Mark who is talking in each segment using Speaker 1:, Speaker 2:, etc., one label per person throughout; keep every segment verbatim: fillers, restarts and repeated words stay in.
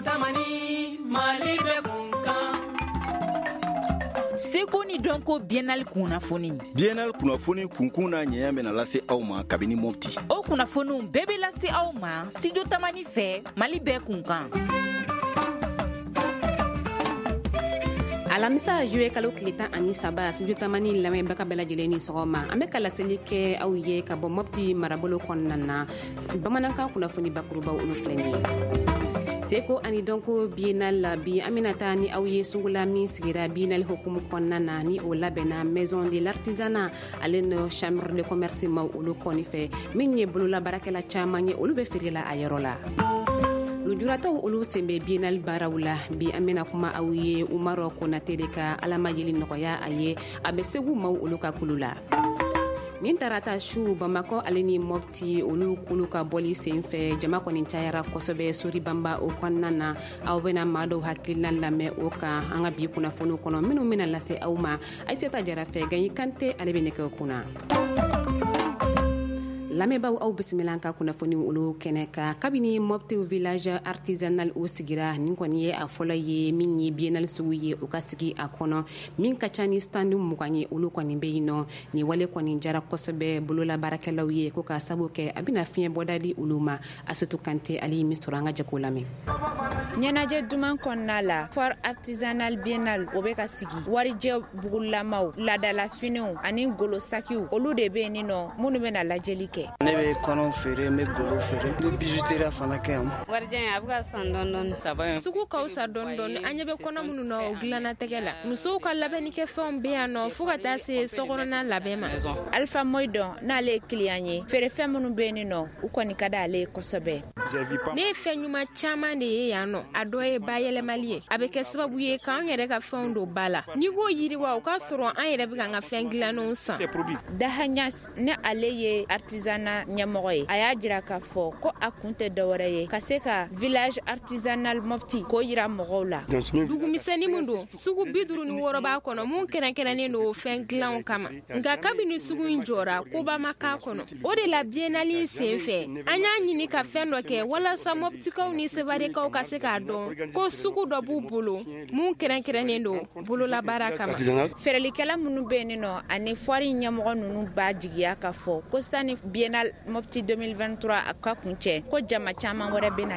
Speaker 1: Tamani, Mali bɛ kun kan.
Speaker 2: Seko ni dɔnko biennale kunnafoni.
Speaker 3: Biennale kunnafoni kunkun n'a ɲɛɲɛ bɛna lase aw ma kabini Mopti.
Speaker 2: O kunnafoniw bɛɛ bɛ lase aw ma Studio Tamani fɛ, Mali bɛɛ kun kan.
Speaker 4: Alamisa juillet kalo tile tan ani saba, Studio Tamani lamɛnbaga bɛɛ lajɛlen ni sɔgɔma. An bɛ ka laseli kɛ aw ye ka bɔ Mopti marabolo kɔnɔna na. Bamanankan kunnafoni bakurubaw olu filɛ nin ye. Seko ani dɔnko biennale la bi, an bɛna taa ni aw ye sugu la min sigira biennale hukumu kɔnɔna na, ni o labɛnna Maison de l'artisanat ale no Chambre de commerce maw olu kɔni fɛ, min ye bolola baarakɛla caman ye, olu bɛ feere la a yɔrɔ la. Lujuratɔw olu sen bɛ biennale baaraw la bi. An bɛna kuma aw ye Umaru Konate de ka Ala ma yeli nɔgɔya a ye, a bɛ Segu maaw olu ka kulu la. Nin tarata su, Bamakɔ ale ni Mopti olu kulu ka bɔli sen fɛ, jama kɔni cayara kosɛbɛ Soribanba o kɔnɔna na. Aw bɛna maa dɔw hakilina lamɛn o kan an ka bi kunnafoniw kɔnɔ minnu bɛna lase aw ma Ayisata Jara fɛ. Gaɲi Kante ale bɛ nɛgɛ kunna. Lamɛnbaaw, aw bisimila an ka kunnafoniw olu kɛnɛ kan. Kabini Mopti village artisanal o sigira, nin kɔni ye a fɔlɔ ye min ye biennale sugu ye o ka sigi a kɔnɔ, min ka ca ni stand mugan ye, olu kɔni bɛ yen nɔ. Nin wale kɔni jara kosɛbɛ bolola baarakɛlaw ye, ko k'a sabu kɛ a bɛna fiɲɛ bɔda di olu ma. Asetu Kante ale ye min sɔrɔ, an ka jɛ k'o lamɛn.
Speaker 5: Ɲɛnajɛ duman kɔnɔna la, foire artisanale biennale o bɛ ka sigi. Warijɛ bugulamaw, laadalafiniw ani golosakiw, olu de bɛ yen nɔ minnu bɛna lajɛli kɛ.
Speaker 6: Ne bɛ kɔnɔw feere, n bɛ golo feere, n bɛ bijouterie fana kɛ yan.
Speaker 7: Warijɛ in a bɛ ka san dɔɔni dɔɔni.
Speaker 8: Sugu ka fisa dɔɔni dɔɔni. An ɲɛ bɛ kɔnɔ minnu na o dilanna tɛgɛ la. Musow ka labɛnnikɛfɛnw bɛ yan nɔ fo ka taa se sokɔnɔna labɛn ma.
Speaker 5: Alpha Moyidɔn n'ale ye client ye, feerefɛn minnu bɛ yen nɔ, u kɔni ka d'ale ye kosɛbɛ.
Speaker 8: Ne ye fɛn ɲuman caman de ye yan nɔ. A dɔ ye bayɛlɛmali ye, a bɛ kɛ sababu ye k'an yɛrɛ ka fɛnw don ba la. N'i ko yiriwa, o k'a sɔrɔ an yɛrɛ bɛ k'an ka fɛn dilannenw san.
Speaker 5: Dahanyas ni ale ye artisanat ɲɛmɔgɔ ye, a y'a jira k'a fɔ ko a kun tɛ dɔwɛrɛ ye ka se ka village artisanal Mopti k'o yira mɔgɔw la.
Speaker 8: Dugumisɛnnin min don, sugu bi duuru ni wɔɔrɔ b'a kɔnɔ mun kɛrɛnkɛrɛnnen don fɛn dilanw kama. Nka kabini sugu in jɔra, koba ma k'a kɔnɔ. O de la biennale sen fɛ, an y'a ɲini ka fɛn dɔ kɛ walasa Moptikaw ni Sevarekaw ka se k'a dɔn ko sugu dɔ b'u bolo mun kɛrɛnkɛrɛnnen don bololabaara kama.
Speaker 5: Feerelikɛla minnu bɛ yen nɔ ani foire ɲɛmɔgɔ ninnu b'a jigiya k'a fɔ ko sani biennale Mopti deux mille vingt-trois a ka kun cɛ, ko jama caman wɛrɛ bɛ na.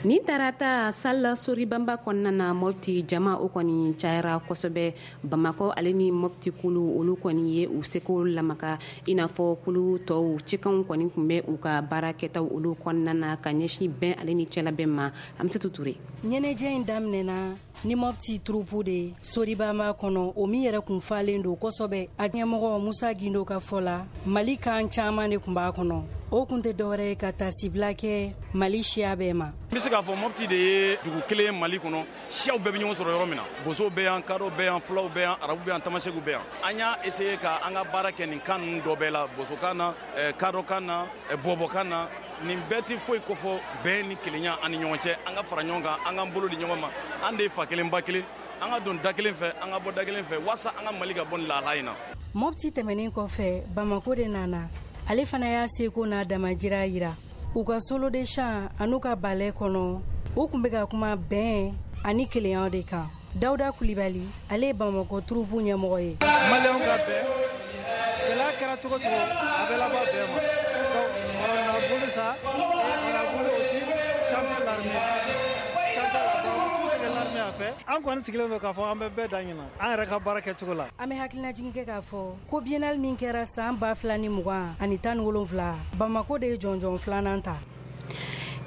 Speaker 4: Nin tarata sala Soribamba kɔnɔna na, Mopti jama o kɔni cayara kosɛbɛ. Bamakɔ ale ni Mopti kulu olu kɔni ye u seko lamaka, i n'a fɔ kulu tɔw cikanw kɔni tun bɛ u ka baara kɛtaw olu kɔnɔna na ka ɲɛsin bɛn ale ni cɛlabɛn ma. Amisatou Touré.
Speaker 9: Ɲɛnajɛ in daminɛna ni Mopti troupe de Soribamba kɔnɔ, o min yɛrɛ kun falen don kosɛbɛ. A ɲɛmɔgɔ Musa Gindo ka fɔ la, Mali kan caman de kun b'a kɔnɔ. O kun tɛ dɔwɛrɛ ye ka taasibila kɛ Mali siya bɛɛ ma.
Speaker 10: N bɛ se k'a fɔ Mopti de ye dugu kelen Mali kɔnɔ, siyaw bɛɛ bɛ ɲɔgɔn sɔrɔ yɔrɔ min na. Bosow bɛ yan, kadɔw bɛ yan, fulaw bɛ yan, arabu bɛ yan, tamasɛkiw bɛ yan. An y'a essayer ka an ka baara kɛ nin kan ninnu dɔ bɛɛ la, bosokan na, kadɔkan na, bɔbɔkan na. Nin bɛɛ tɛ foyi kofɔ bɛn ni kelenya an ni ɲɔgɔn cɛ. An ka fara ɲɔgɔn kan, an k'an bolo di ɲɔgɔn ma. An de ye fa kelen ba kelen, an ka don da kelen fɛ, an ka bɔ da kelen fɛ, walasa an ka Mali ka bɔ nin lahala in na.
Speaker 9: Mopti tɛmɛnen kɔfɛ, Bamako de nana. Ale fana y'a seko n'a damajira yira. U ka solo de chant an'u ka ballet kɔnɔ, u kun bɛ ka kuma bɛn ani kelenya de kan. Dawuda Kulibali, ale ye Bamakɔ troupe ɲɛmɔgɔ ye.
Speaker 11: Maliyɛnw ka bɛn, gɛlɛya kɛra cogo cogo, a bɛ laban bɛn ma. Donc on a voulu ça et on a voulu aussi chanter l'armée. Chanter la tout ce que l'armée a fait. An kɔni sigilen don k'a fɔ an bɛ bɛɛ da ɲina an yɛrɛ ka baara kɛcogo la.
Speaker 9: An bɛ hakilinajigin kɛ k'a fɔ ko biennale min kɛra san ba fila ni mugan ani tan ni wolonfila, Bamako de ye jɔnjɔn filanan ta.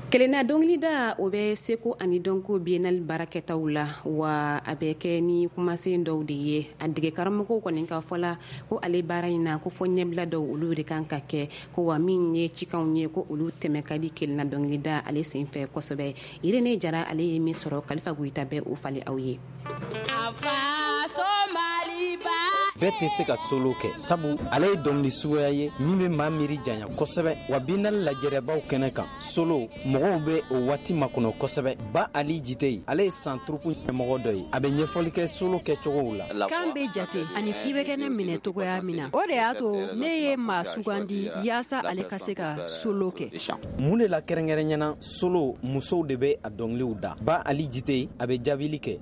Speaker 4: Kelenna dɔnkilida o bɛ seko ani dɔnko biennale baarakɛtaw la, wa a bɛ kɛ ni kumasen dɔw de ye. A dege karamɔgɔw kɔni ka fɔ la ko ale baara in na ko fɔ ɲɛbila dɔw olu de kan ka kɛ, ko wa min ye cikanw ye ko olu tɛmɛ ka di kelenna dɔnkilida ale senfɛ kosɛbɛ. Irene Jara ale ye min sɔrɔ, Kalifa Goyita bɛ o falen aw ye.
Speaker 12: A faso Maliba. Bɛɛ tɛ se ka solo kɛ, sabu ale ye dɔnkili suguya ye min bɛ maa miiri janya kosɛbɛ. Wa biennale lajɛrɛbaw kɛnɛ kan, solo mɔgɔw bɛ o waati makɔnɔ kosɛbɛ. Ba Ali Jite, ale ye san troupe ɲɛmɔgɔ dɔ ye, a bɛ ɲɛfɔli kɛ solo kɛcogow la.
Speaker 13: Kan bɛ jate ani i bɛ kɛ ne minɛ cogoya min na, o de y'a to ne ye maa sugandi yaasa ale ka se ka solo kɛ.
Speaker 12: Mun de la kɛrɛnkɛrɛnyana solo musow de bɛ a dɔnkiliw da? Ba Ali Jite, a bɛ jaabili kɛ.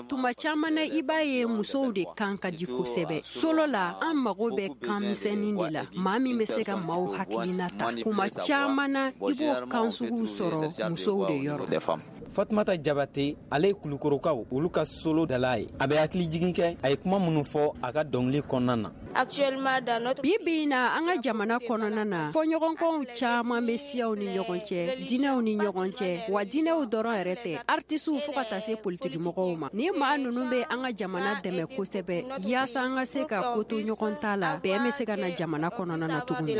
Speaker 13: Tuma caman na, i b'a ye musow de kan ka di kosɛbɛ solo la. An mago bɛ kan misɛnnin de la, maa min bɛ se ka maaw hakilina ta. Kuma caman na, i b'o kan suguw sɔrɔ musow de yɔrɔ.
Speaker 12: Fatumata Jabate, ale ye Kulukorokaw olu ka solo dala ye. A bɛ hakili jigin kɛ a ye kuma minnu fɔ a ka dɔnkili kɔnɔna na.
Speaker 13: Bi bi in na, an ka jamana kɔnɔna na, fɔɲɔgɔnkɔw caman bɛ siyaw ni ɲɔgɔn cɛ, diinɛw ni ɲɔgɔn cɛ. Wa diinɛw dɔrɔn yɛrɛ tɛ, artisiw fo ka taa se politikimɔgɔw ma. Ni maa ninnu bɛ an ka jamana dɛmɛ kosɛbɛ yaasa an ka se ka ko to ɲɔgɔn ta la, bɛn bɛ se ka na jamana kɔnɔna na tuguni.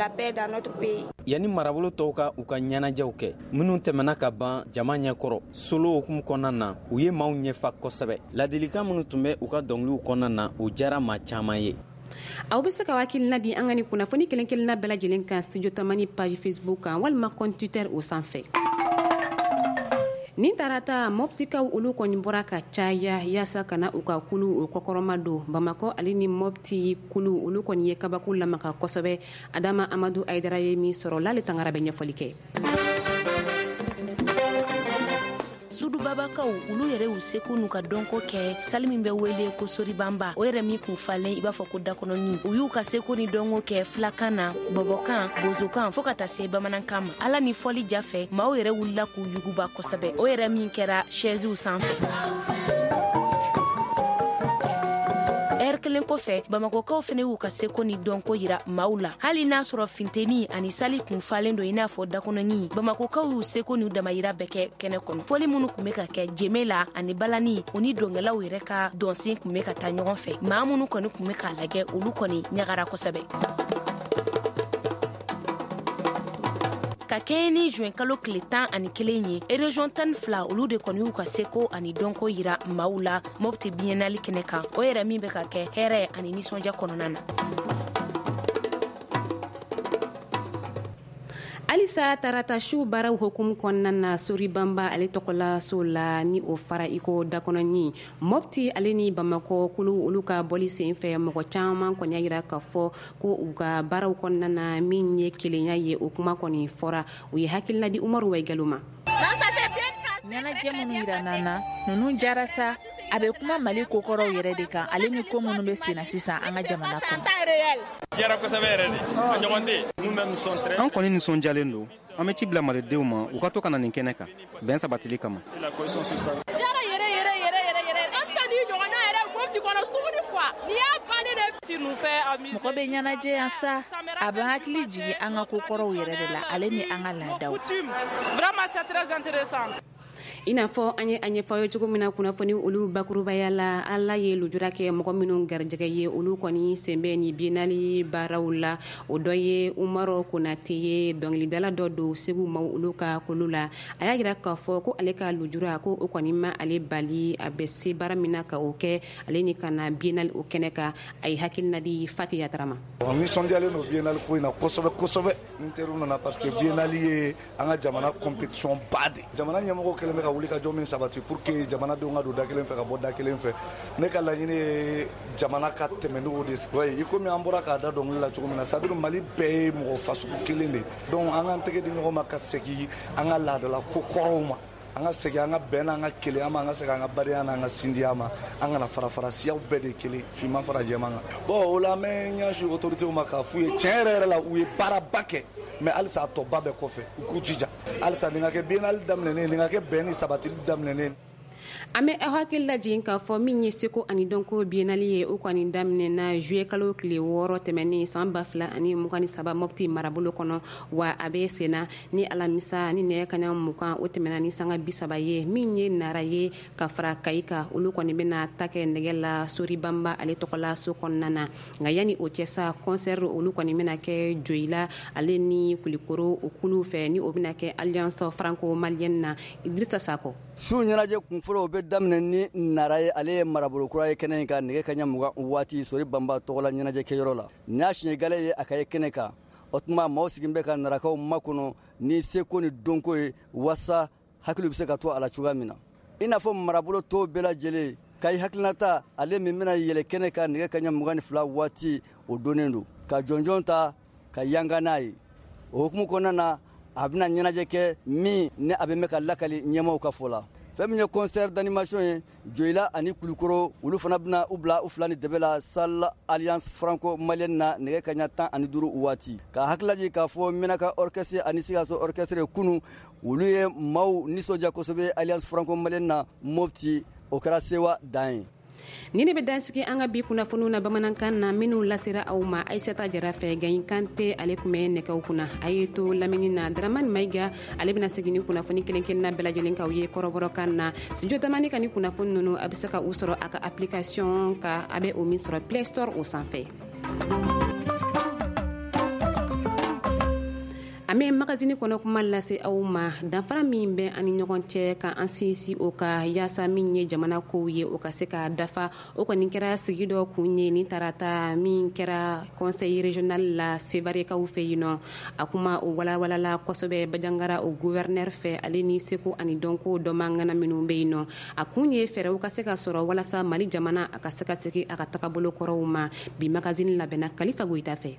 Speaker 12: Yanni marabolo tɔw ka u ka ɲɛnajɛw kɛ minnu tɛmɛna ka ban jama ɲɛkɔrɔ, solo hukumu kɔnɔna na, u ye maaw ɲɛfa kosɛbɛ. Ladilikan minnu tun bɛ u ka dɔnkiliw kɔnɔna na, o diyara maa caman ye.
Speaker 4: Aw bɛ se ka hakilina di an ka ni kunnafoni kelen kelenna bɛɛ lajɛlen kan Studio Tamani page Facebook kan walima compte Twitter o sanfɛ. Nin tarata, Mɔptikaw olu kɔni bɔra ka caya yaasa ka na u ka kulu o kɔkɔrɔma don. Bamakɔ ale ni Mɔpti kulu olu kɔni ye kabako lamaka kosɛbɛ. Adama Amadu Ayidara ye min sɔrɔ l'ale tangara bɛ ɲɛfɔli kɛ.
Speaker 14: Sudubabakaw olu yɛrɛ y'u seko n'u ka dɔnko kɛ sali min bɛ wele ko Soribanba, o yɛrɛ min kun falen i b'a fɔ ko dakɔnɔni. U y'u ka seko ni dɔnko kɛ filakan na, bɔbɔkan, bozokan, fɔɔ ka taa se bamanankan ma. Ala ni fɔli jafɛ, maaw yɛrɛ wulila k'u yuguba kosɛbɛ, o yɛrɛ min kɛra sɛziw sanfɛ. Ɛri kelen kɔfɛ, Bamakɔkaw fɛnɛ y'u ka seko ni dɔnko yira maaw la. Hali n'a sɔrɔ finteni ani sali kun falen don i n'a fɔ dakɔnɔɲi, Bamakɔkaw y'u seko n'u damayira bɛɛ kɛ kɛnɛ kɔnɔ. Fɔli minnu kun bɛ ka kɛ jeme la ani balani, o ni dɔnkɛlaw yɛrɛ ka dɔnsen kun bɛ ka taa ɲɔgɔn fɛ. Maa minnu kɔni kun bɛ k'a lajɛ, olu kɔni ɲagara kosɛbɛ. Ka kɛɲɛ ni juin kalo tile tan ani kelen ye, région tan ni fila olu de kɔni y'u ka seko ani dɔnko yira maaw la Mɔpti biennale kɛnɛ kan, o yɛrɛ min bɛ ka kɛ hɛrɛ ani nisɔndiya kɔnɔna na.
Speaker 4: Halisa tarata su baaraw hukumu kɔnɔna na, Soribanba ale tɔgɔla so la ni o fara iko dakɔnɔɲi, Mɔpti ale ni Bamakɔ kulu olu ka bɔli sen fɛ, mɔgɔ caman kɔni y'a yira k'a fɔ ko u ka baaraw kɔnɔna na min ye kelenya ye, o kuma kɔni fɔra. U ye hakilina di Umaru Wayigalo ma.
Speaker 15: Ɲɛnajɛ minnu yira n'an na, ninnu jara sa. A bɛ kuma Mali kokɔrɔw yɛrɛ de kan, ale ni ko minnu bɛ senna sisan an ka jamana kɔnɔ.
Speaker 16: Jara kosɛbɛ yɛrɛ de, a ɲɔgɔn tɛ.
Speaker 17: An kɔni nisɔndiyalen don. An bɛ ci bila malidenw ma u ka to ka na nin kɛnɛ kan bɛn sabatili kama.
Speaker 18: Jara yɛrɛ yɛrɛ yɛrɛ yɛrɛ yɛrɛ, an tɛ nin ɲɔgɔnna yɛrɛ Mɔpti kɔnɔ tuguni quoi. N'i y'a bannen de.
Speaker 15: Mɔgɔ bɛ ɲɛnajɛ yan sa, a bɛ hakili jigin an ka kokɔrɔw yɛrɛ de la, ale ni an ka laadaw.
Speaker 18: Vraiment c'est très intéressant.
Speaker 4: I n'a fɔ an ye a ɲɛfɔ aw ye cogo min na kunnafoni olu bakurubaya la, Ala ye lujura kɛ mɔgɔ minnu garijɛgɛ ye, olu kɔni sen bɛ ni biennale baaraw la. O dɔ ye Umaru Konate ye, dɔnkilidala dɔ don Segu maaw olu ka kulu la. A y'a yira k'a fɔ ko ale ka lujura ko o kɔni ma ale bali, a bɛ se baara min na ka o kɛ, ale ni ka na biennale o kɛnɛ kan. A ye hakilina di Fati Yatara ma.
Speaker 19: Nisɔndiyalen don biennale ko in na kosɛbɛ kosɛbɛ. N teriw nana parce que biennale ye an ka jamana compétition ba de. Jamana ɲɛmɔgɔw kɛlen bɛ ka wuli ka jɔ min sabati pour que jamanadenw ka don da kelen fɛ ka bɔ da kelen fɛ. Ne ka laɲini ye jamana ka tɛmɛ n'o de ye. I komi an bɔra k'a da dɔnkili la cogo min na, c'est à dire Mali bɛɛ ye mɔgɔ fasugu kelen de. Donc an k'an tɛgɛ di ɲɔgɔn ma ka segin an ka laadala ko kɔrɔw ma. An ka segin an ka bɛn n'an ka kelenya ma, an ka segin an ka badenya n'an ka sindiya ma, an kana fara fara siyaw bɛɛ de kelen, finman fara jɛman kan. Bon o la an bɛ ɲɛsin autorités ma k'a f'u ye tiɲɛ yɛrɛ yɛrɛ la, u ye baaraba kɛ, mais halisa a tɔba bɛɛ kɔfɛ, u k'u jija halisa nin ka kɛ biennale daminɛnen, nin ka kɛ bɛn ni sabatili daminɛnen.
Speaker 4: An bɛ aw hakili lajigin k'a fɔ min ye seko ani dɔnko biennale ye, o kɔni daminɛna juillet kalo tile wɔɔrɔ tɛmɛnen san ba fila ani mugan ni saba Mɔpti marabolo kɔnɔ, wa a bɛ senna ni alamisa ni nɛgɛ kanɲɛ mugan o tɛmɛna ni sanga bi saba ye. Min ye Nara ye ka fara Kayi kan, olu kɔni bɛna ta kɛ nɛgɛ la Soribanba ale tɔgɔla so kɔnɔna na. Nka yanni o cɛ sa, concert olu kɔni bɛna kɛ Joyila ale ni Kulikoro o kulu fɛ, ni o bɛna kɛ Alliance franco-malienne na. Idrissa Sakɔ.
Speaker 20: Su ɲɛnajɛ kun fɔlɔ marabolo o bɛ daminɛ ni Nara ye, ale ye marabolo kura ye kɛnɛ in kan nɛgɛ kaɲa mugan waati Sori Banba tɔgɔla ɲɛnajɛkɛyɔrɔ la. Nin y'a siɲɛ gale ye a ka ye kɛnɛ kan. O tuma maaw sigilen bɛ ka Narakaw makɔnɔ ni seko ni dɔnko ye wasa hakili bɛ se ka to a la cogoya min na. I n'a fɔ marabolo tɔw bɛɛ lajɛlen, Kayi hakilinata ale min bɛna yɛlɛ kɛnɛ kan nɛgɛ kaɲa mugan ni fila waati o donnen don ka jɔnjɔn ta ka yanga n'a ye. O hukumu kɔnɔna na, a bɛna ɲɛnajɛ kɛ min ni a bɛ mɛn ka lakali ɲɛmaaw ka fɔ la. Fɛn min ye concert d'animation ye, Joyila ani Kulukoro olu fana bɛna u bila u fila ni dɛbɛ la salle Alliance franco-malienne na nɛgɛ kaɲa tan ani duuru waati. Ka hakililajigin k'a fɔ Menaka orchestre ani Sikaso orchestre kunun olu ye maaw nisɔndiya kosɛbɛ Alliance franco-malienne na Mopti, o kɛra sewa dan ye.
Speaker 4: Ni ne bɛ dansigi an ka bi kunnafoniw na bamanankan na minnu lasera aw ma Aissata Jara fɛ. Gayin Kante ale tun bɛ nɛgɛw kunna. A ye to lamini na Dramane Maïga ale bɛna segin ni kunnafoni kelen kelenna bɛɛ lajɛlen k'aw ye kɔrɔbɔrɔkan na. Studio Tamani ka ni kunnafoni ninnu a bɛ se ka u sɔrɔ a ka application ka a bɛ o min sɔrɔ Play Store o sanfɛ. An bɛ magazine kɔnɔ kuma lase aw ma danfara min bɛ an ni ɲɔgɔn cɛ ka an sinsin o ka yaasa min ye jamana kow ye o ka se ka dafa. O kɔni kɛra sigi dɔ kun ye ni tarata min kɛra conseil régional la Sevarekaw fɛ yen nɔ. A kuma o walawalala kosɛbɛ Bajangara o gouverneur fɛ, ale ni seko ani dɔnko dɔnbagana minnu bɛ yen nɔ. A kun ye fɛɛrɛw ka se ka sɔrɔ walasa Mali jamana a ka se ka segin a ka tagabolo kɔrɔw ma. Bi magazine labɛnna Kalifa Goyita fɛ.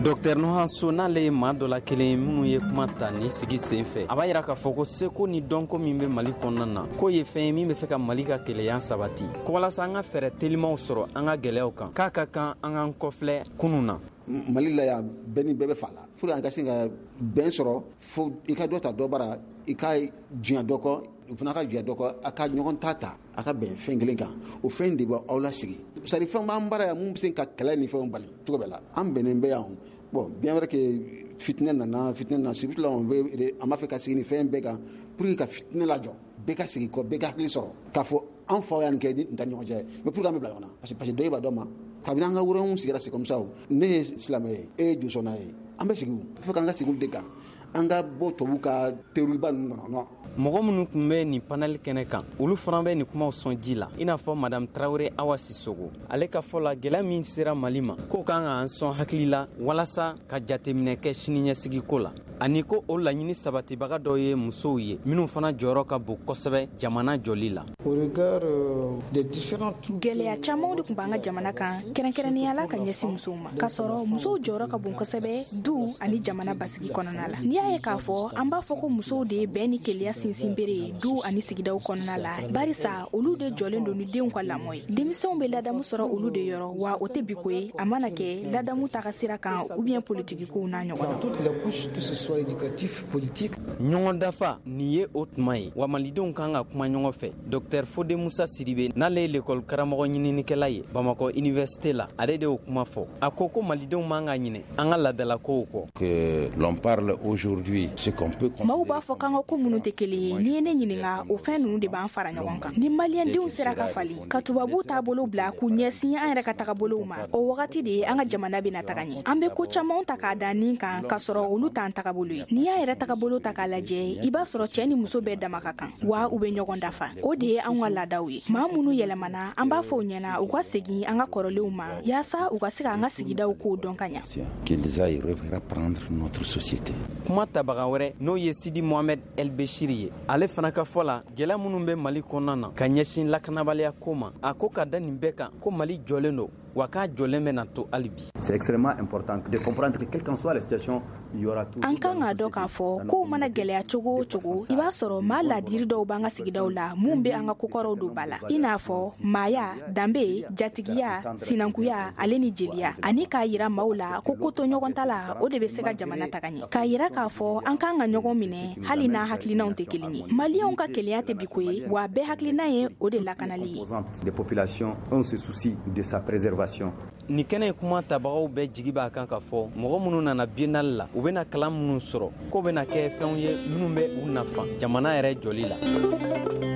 Speaker 12: Docteur Nohanso n'ale ye maa dɔ la kelen minnu ye kuma ta ni sigi sen fɛ, a b'a yira k'a fɔ ko seko ni dɔnko min bɛ Mali kɔnɔna na k'o ye fɛn ye min bɛ se ka Mali ka keleya sabati, ko walasa an ka fɛɛrɛ telimaw sɔrɔ an ka gɛlɛyaw kan, k'a ka kan an k'an kɔfilɛ kunun na.
Speaker 21: Mali la yan bɛɛ ni bɛɛ bɛ fa la, pour an ka se ka bɛn sɔrɔ fo i ka dɔ ta dɔ bara, i ka diɲɛ dɔ kɔ, u fana ka diɲɛ dɔ kɔ, a ka ɲɔgɔn ta ta, a ka bɛn fɛn kelen kan, o fɛn de b'aw lasigi. C'est à dire fɛn b'an bara yan mun bɛ se ka kɛlɛ ni fɛnw bali cogo bɛɛ la, an bɛnnen bɛ yan. Bon, bien vrai que fitinɛ nana, fitinɛ nana, surtout là on veut, an b'a fɛ ka sigi ni fɛn bɛɛ kan pour que ka fitinɛ lajɔ, bɛɛ ka sigi kɔ, bɛɛ ka hakili sɔrɔ k'a fɔ an faw y'an kɛ ni tɛ ɲɔgɔn cɛ, mais pour que an bɛ bila ɲɔgɔn na, parce que parce que dɔ b'a dɔ ma, kabini an ka wɛrɛw sigira c'est comme ça, ne ye silamɛ ye, e ye josɔnna ye, an bɛ sigi o, fo k'an ka sigi olu de kan, an ka bɔ tubabu ka terrorisme ninnu kɔnɔ non.
Speaker 12: Mɔgɔ minnu tun bɛ nin panel kɛnɛ kan, olu fana bɛ nin kumaw sɔn ji la, i n'a fɔ Madame Traoré Awa Sissoko. Ale ka fɔ la, gɛlɛya min sera Mali ma, k'o kan k'an sɔn hakili la walasa ka jateminɛ kɛ siniɲɛsigiko la, ani ko o laɲini sabatibaga dɔ ye musow ye minnu fana jɔyɔrɔ ka bon kosɛbɛ jamana jɔli la.
Speaker 22: Gɛlɛya camanw de tun b'an ka jamana kan, kɛrɛnkɛrɛnnenya la ka ɲɛsin musow ma, k'a sɔrɔ musow jɔyɔrɔ ka bon kosɛbɛ du ani jamana basigi kɔnɔna la. N'i y'a ye k'a fɔ an b'a fɔ ko musow de ye bɛn ni kelenya sinsinbere ye du ani sigidaw kɔnɔna la, barisa olu de jɔlen don ni denw ka lamɔ ye. Denmisɛnw bɛ ladamu sɔrɔ olu de yɔrɔ, wa o tɛ biko ye, a mana kɛ ladamu taga sira kan ou bien politiki kow n'a ɲɔgɔn na.
Speaker 12: Ɲɔgɔn dafa nin ye o tuma ye wa malidenw kan ka kuma ɲɔgɔn fɛ. Docteur Fode Musa Sidibe n'ale ye lekɔli karamɔgɔ ɲininikɛla ye Bamakɔ université la, ale de y'o kuma fɔ. A ko ko malidenw man ka ɲinɛ an ka laadalakow kɔ.
Speaker 23: Que l'on parle aujourd'hui ce qu'on peut
Speaker 22: maaw b'a fɔ k'an ka ko minnu tɛ kelen ye, n'i ye ne ɲininka o fɛn ninnu de b'an fara ɲɔgɔn kan. Ni maliyɛndenw sera ka falen ka tubabuw taabolo bila k'u ɲɛsin an yɛrɛ ka tagabolow ma, o wagati de ye an ka jamana bɛna taga ɲɛ. An bɛ ko camanw ta k'a da nin kan k'a sɔrɔ olu t'an tagabolo ye. N'i y'a yɛrɛ tagabolo ta k'a lajɛ, i b'a sɔrɔ cɛ ni muso bɛɛ dama ka kan, wa u bɛ ɲɔgɔn dafa. O de ye anw ka laadaw ye. Maa minnu yɛlɛmana, an b'a fɔ u ɲɛna u ka segin an ka kɔrɔlenw ma yaasa u ka se k'an ka sigidaw kow dɔn ka ɲa.
Speaker 23: Qu'ils aillent reprendre notre société.
Speaker 12: Kuma tabaga wɛrɛ n'o ye Sidi Mohamed El Bechiri ye, ale fana ka fɔ la, gɛlɛya minnu bɛ Mali kɔnɔna na ka ɲɛsin lakanabaliya ko ma, a ko ka da nin bɛɛ kan ko Mali jɔlen don, wa k'a jɔlen bɛna to hali bi.
Speaker 24: C'est extrêmement important de comprendre que quelle qu'en soit la situation, il y aura toujours.
Speaker 22: An kan k'a dɔn k'a fɔ kow mana gɛlɛya cogo o cogo, i b'a sɔrɔ maa laadiri dɔw b'an ka sigidaw la mun bɛ an ka kokɔrɔw don ba la, i n'a fɔ maaya, danbe, jatigiya, sinankuya ale ni jeliya, ani k'a yira maaw la ko ko to ɲɔgɔn ta la, o de bɛ se ka jamana taga ɲɛ. K'a yira k'a fɔ an kan ka ɲɔgɔn minɛ hali n'an hakilinaw tɛ kelen ye. Maliyɛnw ka kelenya tɛ biko ye, wa bɛɛ hakilina ye o de lakanali ye.
Speaker 24: Des populations ont ce souci de sa préservation.
Speaker 12: Nin kɛnɛ in kuma tabagaw bɛɛ jigi b'a kan k'a fɔ mɔgɔ minnu nana biennale la, u bɛna kalan minnu sɔrɔ, k'o bɛna kɛ fɛnw ye minnu bɛ u nafa jamana yɛrɛ jɔli la.